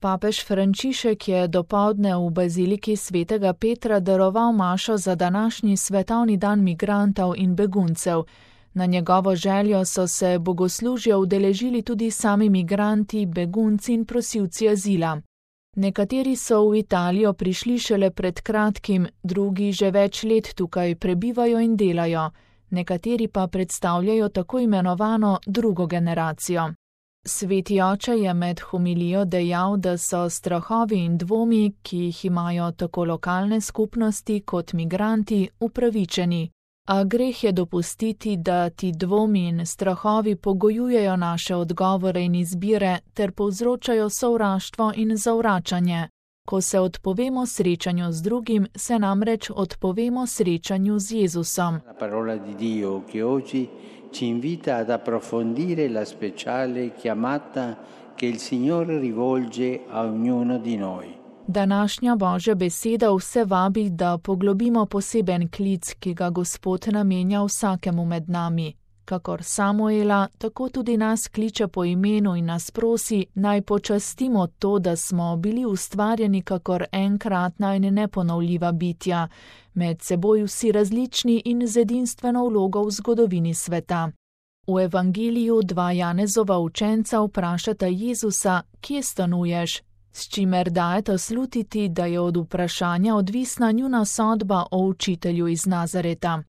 Papež Frančišek je dopoldne v baziliki svetega Petra daroval mašo za današnji svetovni dan migrantov in beguncev. Na njegovo željo so se bogoslužja udeležili tudi sami migranti, begunci in prosilci azila. Nekateri so v Italijo prišli šele pred kratkim, drugi že več let tukaj prebivajo in delajo, nekateri pa predstavljajo tako imenovano drugo generacijo. Sveti oče je med homilijo dejal, da so strahovi in dvomi, ki jih imajo tako lokalne skupnosti kot migranti, upravičeni. A greh je dopustiti, da ti dvomi in strahovi pogojujejo naše odgovore in izbire ter povzročajo sovraštvo in zavračanje. Ko se odpovemo srečanju z drugim, se namreč odpovemo srečanju z Jezusom. La parola di Dio che oggi ci invita ad approfondire la speciale chiamata che il Signore rivolge a ognuno di noi. Današnja Božja beseda vse vabi, da poglobimo poseben klic, ki ga Gospod namenja vsakemu med nami. Kakor Samuela, tako tudi nas kliče po imenu in nas prosi, naj počastimo to, da smo bili ustvarjeni kakor enkratna in neponovljiva bitja, med seboj vsi različni in z edinstveno vlogo v zgodovini sveta. V evangeliju dva Janezova učenca vprašata Jezusa, kje stanuješ, s čimer dajeta slutiti, da je od vprašanja odvisna njuna sodba o učitelju iz Nazareta.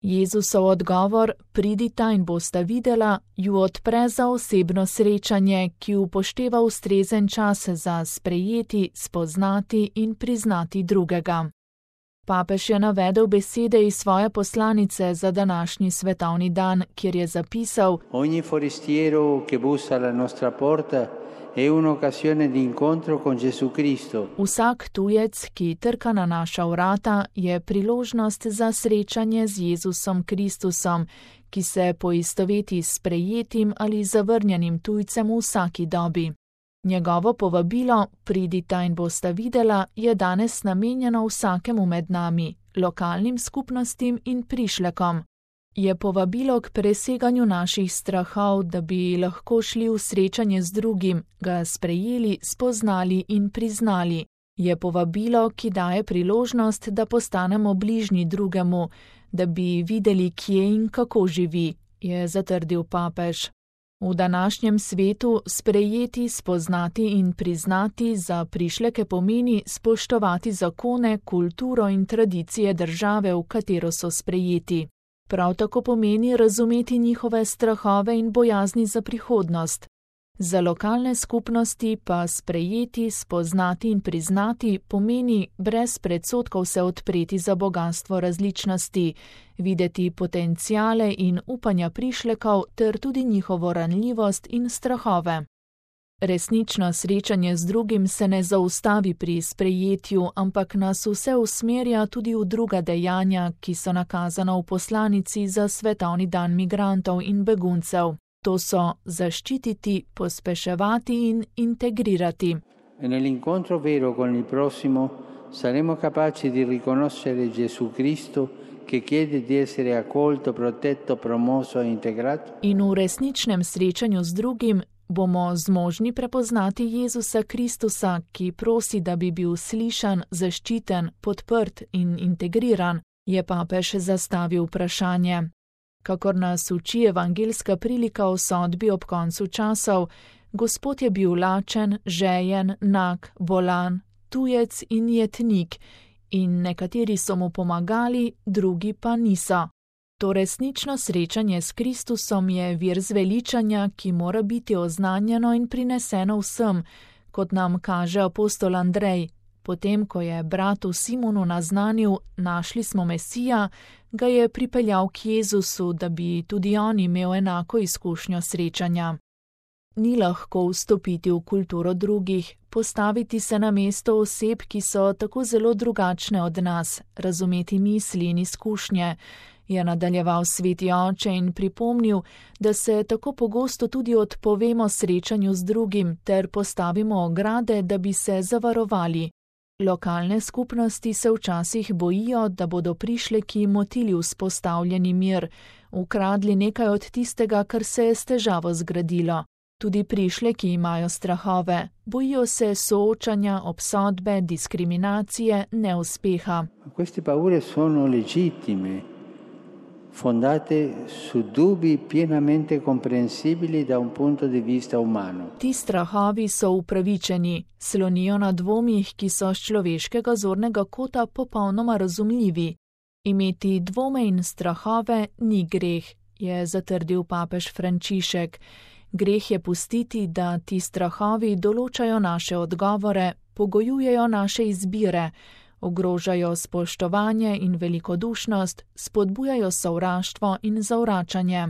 Jezusov odgovor, pridita in bosta videla, ju odpre za osebno srečanje, ki upošteva ustrezen čas za sprejeti, spoznati in priznati drugega. Papež je navedel besede iz svoje poslanice za današnji svetovni dan, kjer je zapisal: Ogni forestiero che bussa alla nostra porta è un'occasione di incontro con Gesù Cristo. Vsak tujec, ki trka na naša vrata, je priložnost za srečanje z Jezusom Kristusom, ki se poistoveti s sprejetim ali zavrnjenim tujcem v vsaki dobi. Njegovo povabilo, pridita in bosta videla, je danes namenjeno vsakemu med nami, lokalnim skupnostim in prišlekom. Je povabilo k preseganju naših strahov, da bi lahko šli v srečanje z drugim, ga sprejeli, spoznali in priznali. Je povabilo, ki daje priložnost, da postanemo bližnji drugemu, da bi videli, kje in kako živi, je zatrdil papež. V današnjem svetu sprejeti, spoznati in priznati za prišleke pomeni spoštovati zakone, kulturo in tradicije države, v katero so sprejeti. Prav tako pomeni razumeti njihove strahove in bojazni za prihodnost. Za lokalne skupnosti pa sprejeti, spoznati in priznati pomeni brez predsodkov se odpreti za bogastvo različnosti, videti potenciale in upanja prišlekov ter tudi njihovo ranljivost in strahove. Resnično srečanje z drugim se ne zaustavi pri sprejetju, ampak nas vse usmerja tudi v druga dejanja, ki so nakazana v poslanici za svetovni dan migrantov in beguncev. To so zaščititi, pospeševati in integrirati. Nell'incontro vero con il prossimo saremo capaci di riconoscere Gesù Cristo che chiede di essere accolto, protetto, promosso e integrato. In v resničnem srečanju z drugim bomo zmožni prepoznati Jezusa Kristusa, ki prosi, da bi bil slišan, zaščiten, podprt in integriran, je papež zastavil vprašanje. Kakor nas uči evangeljska prilika o sodbi ob koncu časov, Gospod je bil lačen, žejen, nag, bolan, tujec in jetnik, in nekateri so mu pomagali, drugi pa niso. To resnično srečanje s Kristusom je vir zveličanja, ki mora biti oznanjeno in prineseno vsem, kot nam kaže apostol Andrej. Potem, ko je bratu Simonu naznanil, našli smo Mesija, ga je pripeljal k Jezusu, da bi tudi on imel enako izkušnjo srečanja. Ni lahko vstopiti v kulturo drugih, postaviti se na mesto oseb, ki so tako zelo drugačne od nas, razumeti misli in izkušnje, je nadaljeval sveti oče in pripomnil, da se tako pogosto tudi odpovemo srečanju z drugim ter postavimo ograde, da bi se zavarovali. Lokalne skupnosti se včasih bojijo, da bodo prišleki motili vzpostavljeni mir, ukradli nekaj od tistega, kar se je s težavo zgradilo. Tudi prišleki imajo strahove, bojijo se soočanja, obsodbe, diskriminacije, neuspeha. Queste paure sono legittime, fondate su dubbi pienamente comprensibili da un punto di vista umano. Ti strahovi so upravičeni, slonijo na dvomih, ki so z človeškega zornega kota popolnoma razumljivi. Imeti dvome in strahove ni greh, je zatrdil papež Frančišek. Greh je pustiti, da ti strahovi določajo naše odgovore, pogojujejo naše izbire, ogrožajo spoštovanje in velikodušnost, spodbujajo sovraštvo in zavračanje.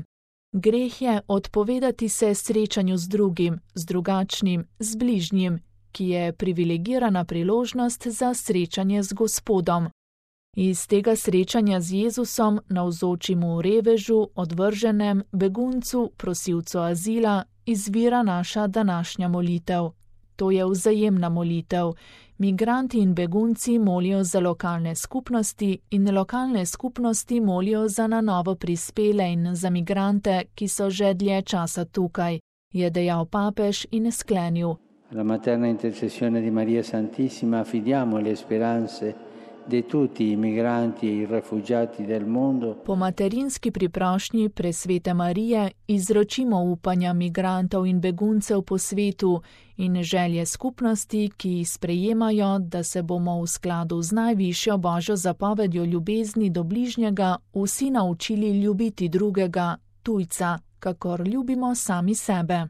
Greh je odpovedati se srečanju z drugim, z drugačnim, z bližnjim, ki je privilegirana priložnost za srečanje z Gospodom. Iz tega srečanja z Jezusom navzočimo revežu, odvrženem, beguncu, prosilcu azila, izvira naša današnja molitev. To je vzajemna molitev. Migranti in begunci molijo za lokalne skupnosti in lokalne skupnosti molijo za na novo prispele in za migrante, ki so že dlje časa tukaj, je dejal papež in sklenil. Alla materna intercessione di Maria Santissima affidiamo le speranze di tutti i migranti e i rifugiati del mondo. Po materinski priprošnji presvete Marije izročimo upanja migrantov in beguncev po svetu in želje skupnosti, ki sprejemajo, da se bomo v skladu z najvišjo Božjo zapovedjo ljubezni do bližnjega vsi naučili ljubiti drugega, tujca, kakor ljubimo sami sebe.